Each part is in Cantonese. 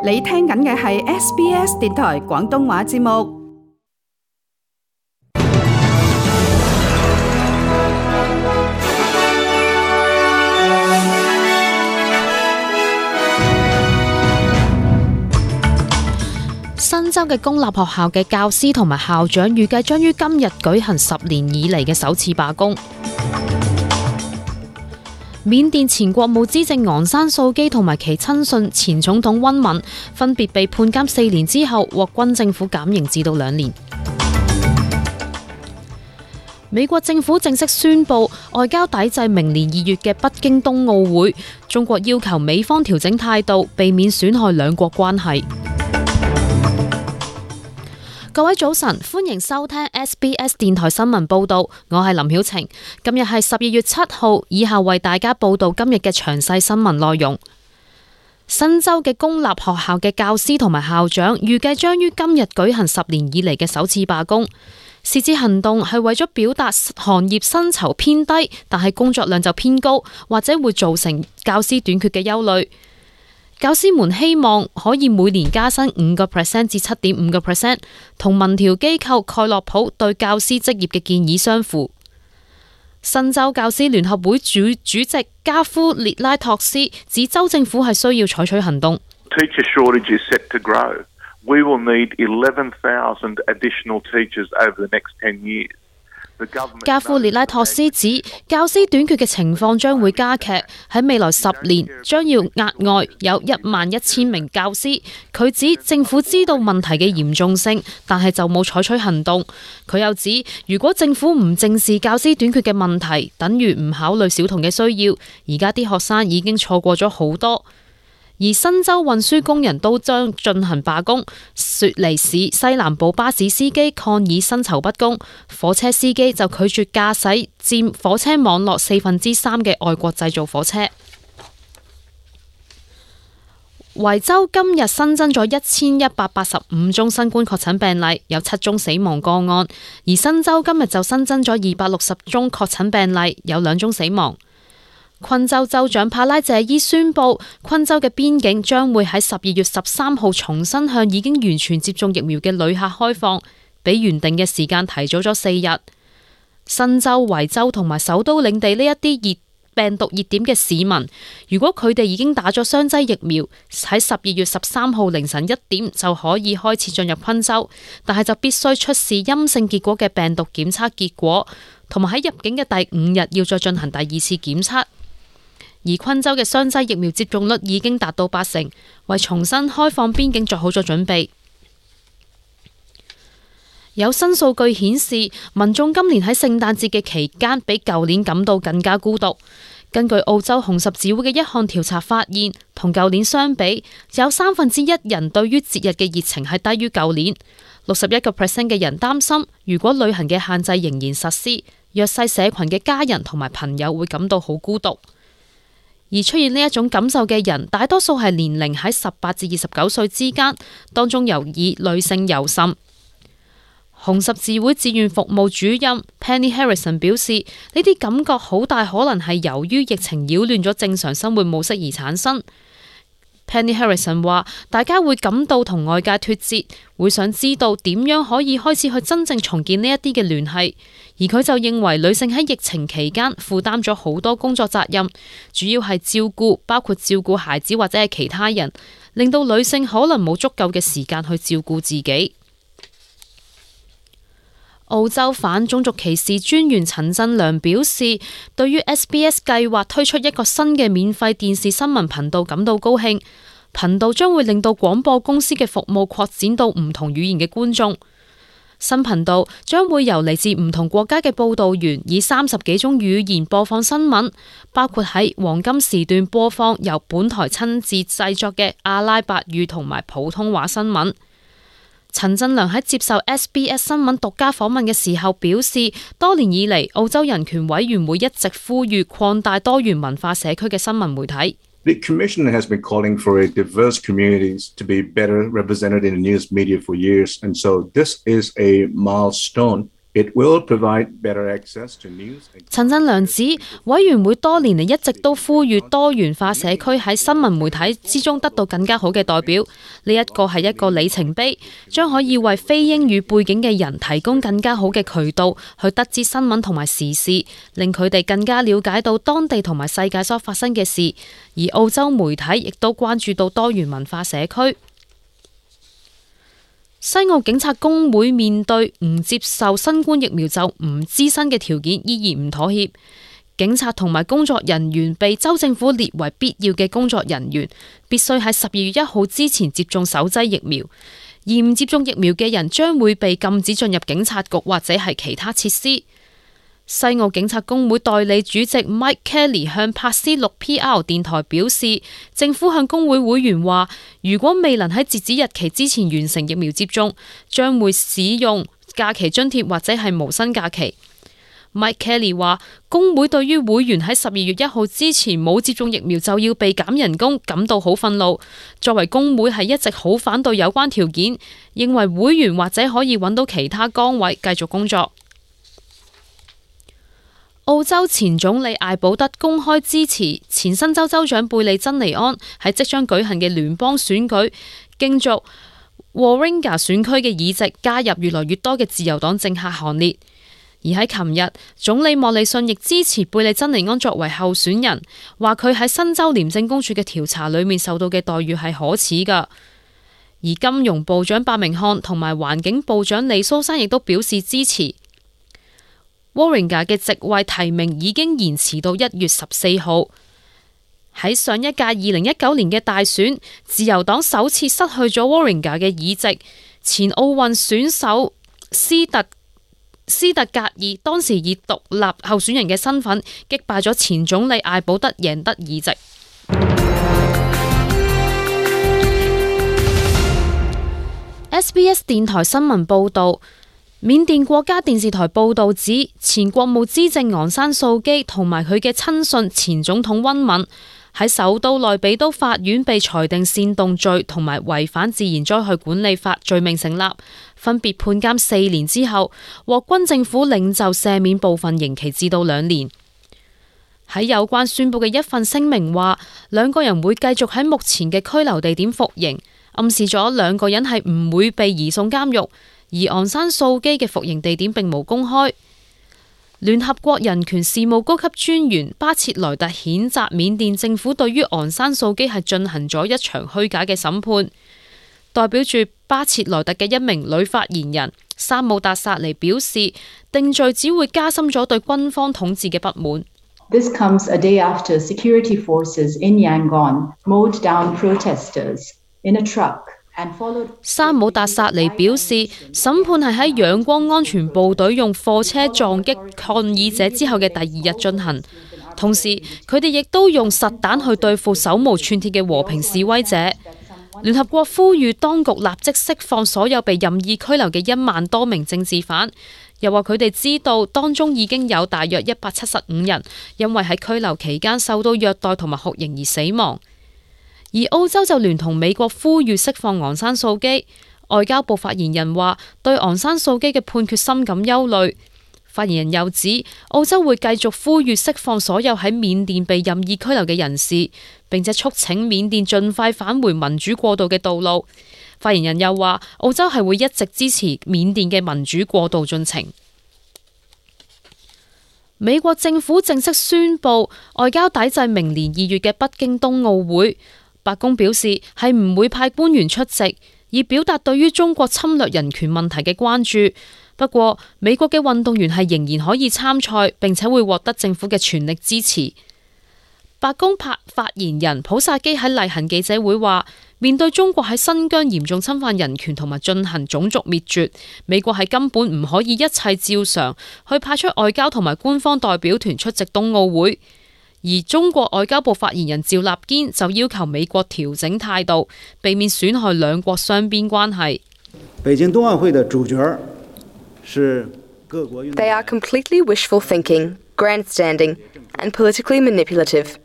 你聽緊嘅係 SBS 電台廣東話節目。新州嘅公立學校嘅教師同埋校長預計將於今日舉行10年以嚟嘅首次罷工。緬甸前國務資政昂山素基同埋其親信前總統温敏分別被判監4年之後，獲軍政府減刑至到2年。美國政府正式宣布外交抵制明年2月嘅北京冬奧會，中國要求美方調整態度，避免損害兩國關係。各位早晨，歡迎收聽 SBS 電台新聞報道，我係林曉晴。今日係12月7號，以下為大家報道今日嘅詳細新聞內容。新州嘅公立學校嘅教師同埋校長預計將於今日舉行10年以嚟嘅首次罷工。是次行動係為咗表達行業薪酬偏低，但係工作量就偏高，或者會造成教師短缺嘅憂慮。教師們希望可以每年加薪5% 至7.5%，同民調機構蓋洛普對教師職業嘅建議相符。新州教師聯合會主席加夫列拉托斯指，州政府係需要採取行動。Teacher shortage is set to grow. We will need 11,000 additional teachers over the next 10 years. 加夫列拉托斯指，教師短缺嘅情況將會加劇，喺未來10年將要額外有11,000名教師。佢指政府知道問題嘅嚴重性，但係就冇採取行動。佢又指，如果政府唔正視教師短缺嘅問題，等於唔考慮小童嘅需要。而家啲學生已經錯過咗好多。而新州運輸工人都將進行罷工，雪梨市西南部巴士司機抗議薪酬不公，火車司機就拒絕駕駛佔火車網絡3/4嘅外國製造火車。維州今日新增咗1185宗新冠確診病例，有7宗死亡個案，而新州今日就新增咗260宗確診病例，有2宗死亡。昆州州長帕拉謝伊宣布，昆州嘅邊境將會喺12月13號重新向已經完全接種疫苗嘅旅客開放，比原定嘅時間提早咗4日。新州、維州同埋首都領地呢一啲病毒熱點嘅市民，如果佢哋已經打咗雙劑疫苗，喺12月13號凌晨1點就可以開始進入昆州，但係就必須出示陰性結果嘅病毒檢測結果，同埋喺入境嘅第5日要再進行第2次檢測。而昆州嘅雙劑疫苗接種率已經達到80%，為重新開放邊境做好咗準備。有新數據顯示，民眾今年喺聖誕節嘅期間比舊年感到更加孤獨。根據澳洲紅十字會嘅一項調查發現，同舊年相比，有1/3人對於節日嘅熱情係低於舊年。61% 嘅人擔心，如果旅行嘅限制仍然實施，弱勢社群嘅家人同埋朋友會感到好孤獨。而出現呢一種感受嘅人，大多數係年齡喺18至29歲之間，當中尤以女性尤甚。紅十字會志願服務主任 Penny Harrison 表示，呢啲感覺好大可能係由於疫情擾亂咗正常生活模式而產生。Penny Harrison 話，大家會感到同外界脫節，會想知道點樣可以開始去真正重建呢一啲嘅聯繫。而佢就認為女性喺疫情期間負擔咗好多工作責任，主要係照顧，包括照顧孩子或者係其他人，令到女性可能冇足夠嘅時間去照顧自己。澳洲反種族歧視專員陳振良表示，對於 SBS 計劃推出一個新嘅免費電視新聞頻道感到高興。頻道將會令到廣播公司嘅服務擴展到唔同語言嘅觀眾。新頻道將會由嚟自唔同國家嘅報道員以30幾種語言播放新聞，包括喺黃金時段播放由本台親自製作嘅阿拉伯語同埋普通話新聞。陳振良喺接受 SBS 新聞獨家訪問嘅時候表示，多年以嚟澳洲人權委員會一直呼籲擴大多元文化社區嘅新聞媒體。The Commission has been calling for a diverse communities to be better represented in the news media for years, and so this is a milestone It will provide better access to news. 陳振良指，委員會多年嚟一直都呼籲多元化社區喺新聞媒體之中得到更加好嘅代表，呢一個係一個里程碑，將可以為非英語背景嘅人提供更加好嘅渠道去得知新聞同埋時事，令佢哋更加了解到當地同埋世界所發生嘅事。而澳洲媒體亦都關注到多元文化社區。西澳警察工會面對唔接受新冠疫苗就唔資薪嘅條件依然唔妥協，警察同埋工作人員被州政府列為必要嘅工作人員，必須喺12月1號之前接種首劑疫苗，而唔接種疫苗嘅人將會被禁止進入警察局或者係其他設施。西澳警察工會代理主席 Mike Kelly 向柏斯 6PR 電台表示，政府向工會會員話，如果未能喺截止日期之前完成疫苗接種，將會使用假期津貼或者係無薪假期。Mike Kelly 話，工會對於會員喺12月1號之前冇接種疫苗就要被減人工感到好憤怒。作為工會係一直好反對有關條件，認為會員或者可以揾到其他崗位繼續工作。澳洲前總理艾保德公開支持前新州州長貝利珍尼安喺即將舉行嘅聯邦選舉競逐 Warringah 選區嘅議席，加入越來越多嘅自由黨政客行列。而喺琴日，總理莫里遜亦支持貝利珍尼安作為候選人，話佢喺新州廉政公署嘅調查裏面受到嘅待遇係可恥噶。而金融部長伯明翰同埋環境部長李蘇珊亦都表示支持。Warringah 嘅席位提名已經延遲到1月14號。喺上一屆2019年嘅大選，自由黨首次失去咗 Warringah 嘅議席。前奧運選手斯特格爾當時以獨立候選人嘅身份擊敗咗前總理艾保德，贏得議席。SBS 電台新聞報導。緬甸國家電視台報道指，前國務資政昂山素基同埋佢嘅親信前總統温敏喺首都內比都法院被裁定煽動罪同埋違反自然災害管理法罪名成立，分別判監4年之後，獲軍政府領袖赦免部分刑期至到2年。喺有關宣佈嘅一份聲明話，兩個人會繼續喺目前嘅拘留地點服刑，暗示咗兩個人係唔會被移送監獄。而昂山素基嘅服刑地點並無公開。聯合國人權事務高級專員巴切萊特譴責緬甸政府對於昂山素基係進行咗一場虛假嘅審判。代表住巴切萊特嘅一名女發言人沙姆達薩尼表示，定罪只會加深咗對軍方統治嘅不滿。This comes a day after security forces in Yangon mowed down protesters in a truck.沙姆達薩尼表示，審判係喺仰光安全部隊用貨車撞擊抗議者之後嘅第2日進行，同時佢哋亦都用實彈去對付手無寸鐵嘅和平示威者。聯合國呼籲當局立即釋放所有被任意拘留嘅1萬多名政治犯，又話佢哋知道當中已經有大約175人因為喺拘留期間受到虐待同埋酷刑而死亡。而澳洲就聯同美國呼籲釋放昂山素基。外交部發言人話對昂山素基嘅判決深感憂慮。發言人又指澳洲會繼續呼籲釋放所有喺緬甸被任意拘留嘅人士，並且促請緬甸盡快返回民主過渡嘅道路。發言人又話澳洲係會一直支持緬甸嘅民主過渡進程。美國政府正式宣布外交抵制明年2月嘅北京冬奧會。白宮表示係唔會派官員出席，以表達對於中國侵略人權問題嘅關注。不過，美國嘅運動員係仍然可以參賽，並且會獲得政府嘅全力支持。白宮發言人普薩基喺例行記者會話，面對中國喺新疆嚴重侵犯人權同埋進行種族滅絕，美國係根本唔可以一切照常去派出外交同埋官方代表團出席冬奧會。而中國外交部發言人趙立堅就要求美國調整態度，避免損害兩國雙邊關係。北京冬奧會的主角是各國運動員。 They are completely wishful thinking, grandstanding, and politically manipulative.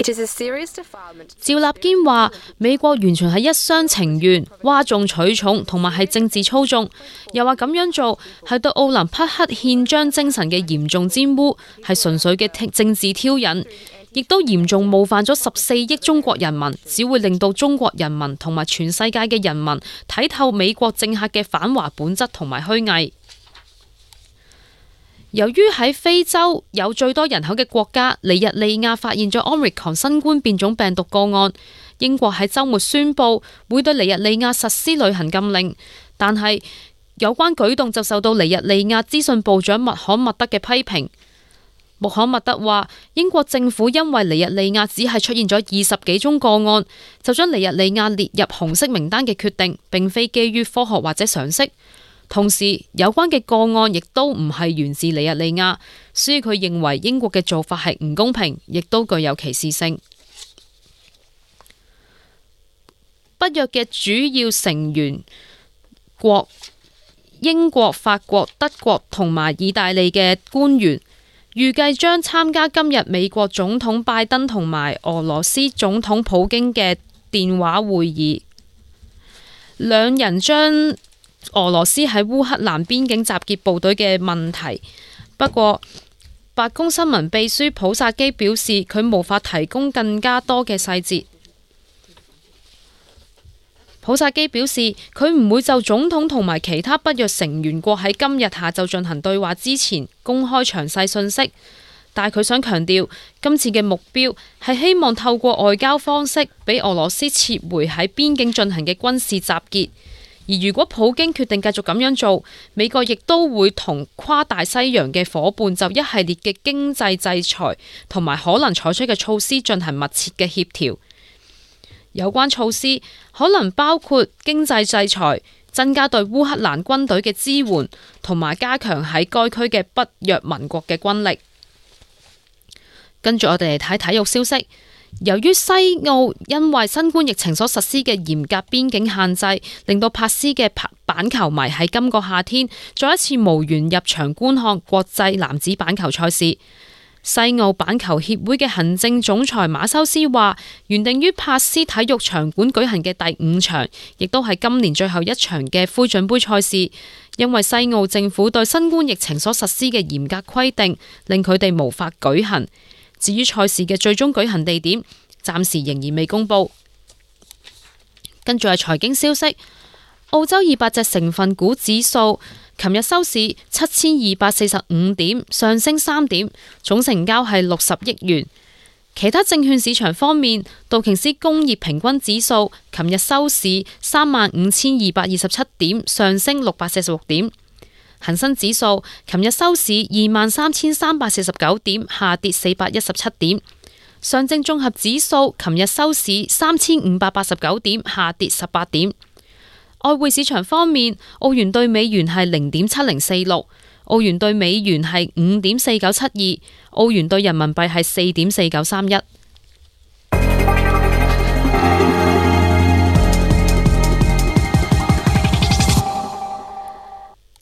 趙立堅話：美國完全係一廂情願、嘩眾取寵，同埋係政治操縱。又話咁樣做係對奧林匹克憲章精神嘅嚴重玷污，係純粹嘅政治挑釁，亦都嚴重冒犯咗14億中國人民，只會令到中國人民同埋全世界嘅人民睇透美國政客嘅反華本質同埋虛偽。由於喺非洲有最多人口嘅國家尼日利亞發現咗 Omicron 新冠變種病毒個案，英國喺週末宣布會對尼日利亞實施旅行禁令，但係有關舉動就受到尼日利亞資訊部長穆罕默德嘅批評。穆罕默德話：英國政府因為尼日利亞只係出現咗20幾宗個案，就將尼日利亞列入紅色名單嘅決定，並非基於科學或者常識。同時，有關嘅個案亦都唔係源自尼日利亞，所以佢認為英國嘅做法係唔公平，亦都具有歧視性。北約嘅主要成員國英國、法國、德國同埋意大利嘅官員預計將參加今日美國總統拜登同埋俄羅斯總統普京嘅電話會議，兩人將俄羅斯喺烏克蘭邊境集結部隊嘅問題。不過，白宮新聞秘書普薩基表示，佢無法提供更加多嘅細節。普薩基表示，佢唔會就總統同埋其他北約成員國喺今日下晝進行對話之前公開詳細信息，但係佢想強調，今次嘅目標係希望透過外交方式俾俄羅斯撤回喺邊境進行嘅軍事集結。而如果普京決定繼續咁樣做，美國亦都會同跨大西洋嘅夥伴就一系列嘅經濟制裁同埋可能採取嘅措施進行密切嘅協調。有關措施可能包括經濟制裁、增加對烏克蘭軍隊嘅支援，同埋加強喺該區嘅北約盟國嘅軍力。跟住我哋嚟睇體育消息。由於西澳因為新冠疫情所實施嘅嚴格邊境限制，令到帕斯嘅板球迷喺今個夏天再一次無緣入場觀看國際男子板球賽事。西澳板球協會嘅行政總裁馬修斯話，原定於帕斯體育場館舉行嘅第5場，亦都係今年最後一場嘅灰準杯賽事，因為西澳政府對新冠疫情所實施嘅嚴格規定，令佢哋無法舉行。至於賽事嘅最終舉行地點，暫時仍然未公布。跟住係財經消息，澳洲200隻成分股指數琴日收市7245點，上升3點，總成交係60億元。其他證券市場方面，道瓊斯工業平均指數琴日收市35227點，上升646點。恒生指數琴日收市23349點，下跌417點。上證綜合指數琴日收市3589點，下跌18點。外匯市場方面，澳元對美元係0.7046，澳元對美元係5.4972，澳元對人民幣係4.4931。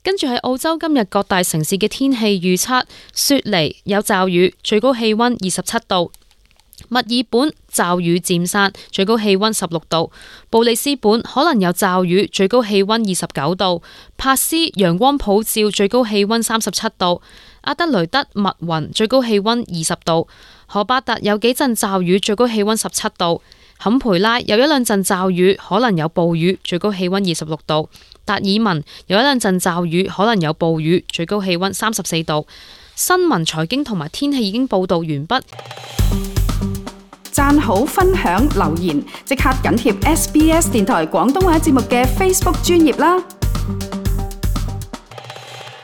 跟住喺澳洲今日各大城市嘅天氣預測：雪梨有驟雨，最高氣溫27度；墨爾本驟雨漸散，最高氣溫16度；布里斯本可能有驟雨，最高氣溫29度；珀斯陽光普照，最高氣溫37度；阿德雷德密雲，最高氣溫20度；荷巴達有幾陣驟雨，最高氣溫17度；坎培拉有一兩陣驟雨，可能有暴雨，最高氣溫26度。達爾文有一兩陣驟雨，可能有暴雨，最高氣溫34度。新聞、財經同埋天氣已經報道完畢。讚好、分享、留言，即刻緊貼SBS 電台廣東話節目嘅 Facebook 專頁啦！